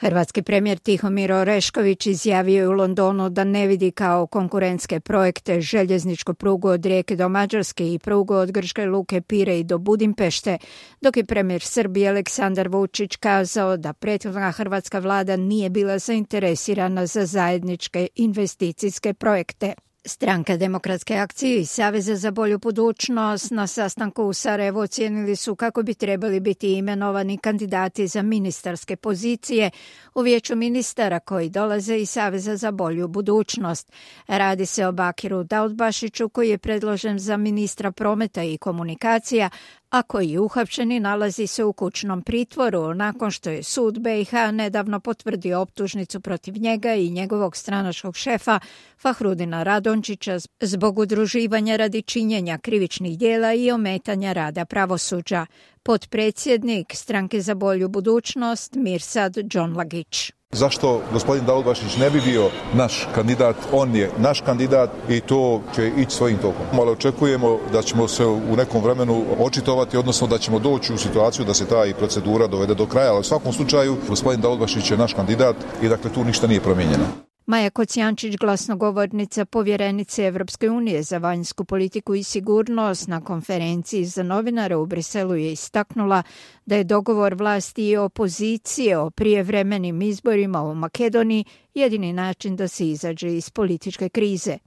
Hrvatski premijer Tihomir Orešković izjavio je u Londonu da ne vidi kao konkurentske projekte željezničku prugu od Rijeke do Mađarske i prugu od grčke luke Pirej do Budimpešte, dok je premijer Srbije Aleksandar Vučić kazao da prethodna hrvatska vlada nije bila zainteresirana za zajedničke investicijske projekte. Stranka Demokratske akcije i Saveza za bolju budućnost na sastanku u Sarajevu ocijenili su kako bi trebali biti imenovani kandidati za ministarske pozicije u vijeću ministara koji dolaze iz Saveza za bolju budućnost. Radi se o Bakiru Daudbašiću koji je predložen za ministra prometa i komunikacija, a koji je uhapšen i nalazi se u kućnom pritvoru nakon što je sud BiH nedavno potvrdio optužnicu protiv njega i njegovog stranačkog šefa Fahrudina Radončića zbog udruživanja radi činjenja krivičnih djela i ometanja rada pravosuđa. Potpredsjednik Stranke za bolju budućnost Mirsad Džonlagić. Zašto gospodin Daudbašić ne bi bio naš kandidat? On je naš kandidat i to će ići svojim tokom. Ali očekujemo da ćemo se u nekom vremenu očitovati, odnosno da ćemo doći u situaciju da se ta i procedura dovede do kraja. Ali u svakom slučaju gospodin Daudbašić je naš kandidat i dakle tu ništa nije promijenjeno. Maja Kocijančić, glasnogovornica povjerenice Evropske unije za vanjsku politiku i sigurnost, na konferenciji za novinare u Briselu je istaknula da je dogovor vlasti i opozicije o prijevremenim izborima u Makedoniji jedini način da se izađe iz političke krize.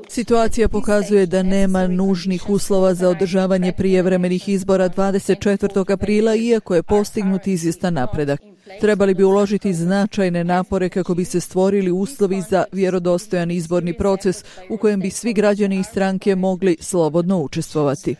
Situacija pokazuje da nema nužnih uslova za održavanje prijevremenih izbora 24. aprila, iako je postignut izvjestan napredak. Trebali bi uložiti značajne napore kako bi se stvorili uslovi za vjerodostojan izborni proces u kojem bi svi građani i stranke mogli slobodno učestvovati.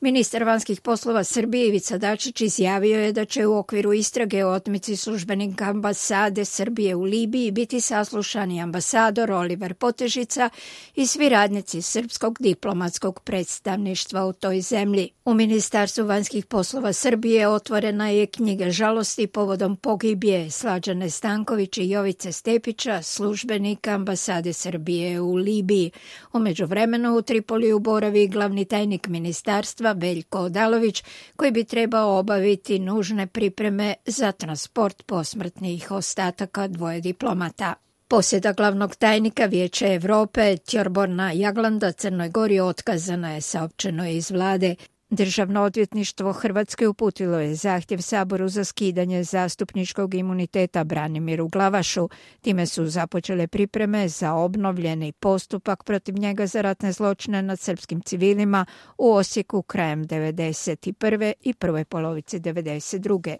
Ministar vanjskih poslova Srbije Ivica Dačić izjavio je da će u okviru istrage o otmici službenika ambasade Srbije u Libiji biti saslušani ambasador Oliver Potežica i svi radnici srpskog diplomatskog predstavništva u toj zemlji. U Ministarstvu vanjskih poslova Srbije otvorena je knjiga žalosti povodom pogibije Slađane Stanković i Jovice Stepića, službenika ambasade Srbije u Libiji. U međuvremenu u Tripoliju boravi glavni tajnik ministarstva Veljko Odalović, koji bi trebao obaviti nužne pripreme za transport posmrtnih ostataka dvoje diplomata. Posjeda glavnog tajnika Vijeća Evrope Tjorborna Jaglanda Crnoj Gori otkazana je, saopćeno je iz vlade. Državno odvjetništvo Hrvatske uputilo je zahtjev Saboru za skidanje zastupničkog imuniteta Branimiru Glavašu. Time su započele pripreme za obnovljeni postupak protiv njega za ratne zločine nad srpskim civilima u Osijeku krajem 1991. i prvoj polovici 1992.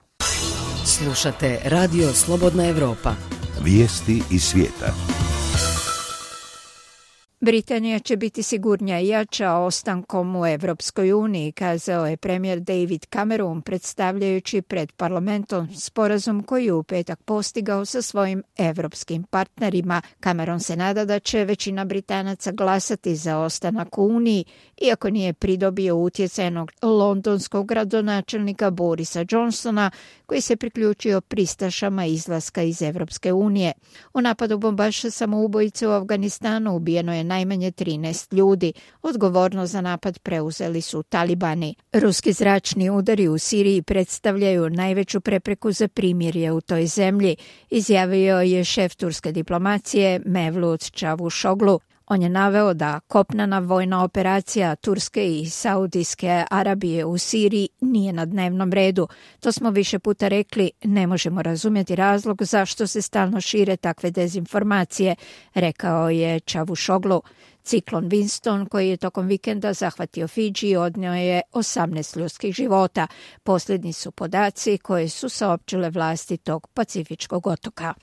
Slušate Radio Slobodna Evropa. Vijesti iz svijeta. Britanija će biti sigurnija i jača ostankom u Evropskoj uniji, kazao je premijer David Cameron predstavljajući pred parlamentom sporazum koji je u petak postigao sa svojim evropskim partnerima. Cameron se nada da će većina Britanaca glasati za ostanak u Uniji, iako nije pridobio utjecajnog londonskog gradonačelnika Borisa Johnsona, koji se priključio pristašama izlaska iz Evropske unije. U napadu bombaša samoubojice u Afganistanu ubijeno je najmanje 13 ljudi. Odgovornost za napad preuzeli su talibani. Ruski zračni udari u Siriji predstavljaju najveću prepreku za primirje u toj zemlji, izjavio je šef turske diplomacije Mevlut Čavuşoglu. On je naveo da kopnena vojna operacija Turske i Saudijske Arabije u Siriji nije na dnevnom redu. To smo više puta rekli, ne možemo razumjeti razlog zašto se stalno šire takve dezinformacije, rekao je Čavuşoglu. Ciklon Winston, koji je tokom vikenda zahvatio Fidži, odnio je 18 ljudskih života. Posljednji su podaci koje su saopćile vlasti tog pacifičkog otoka.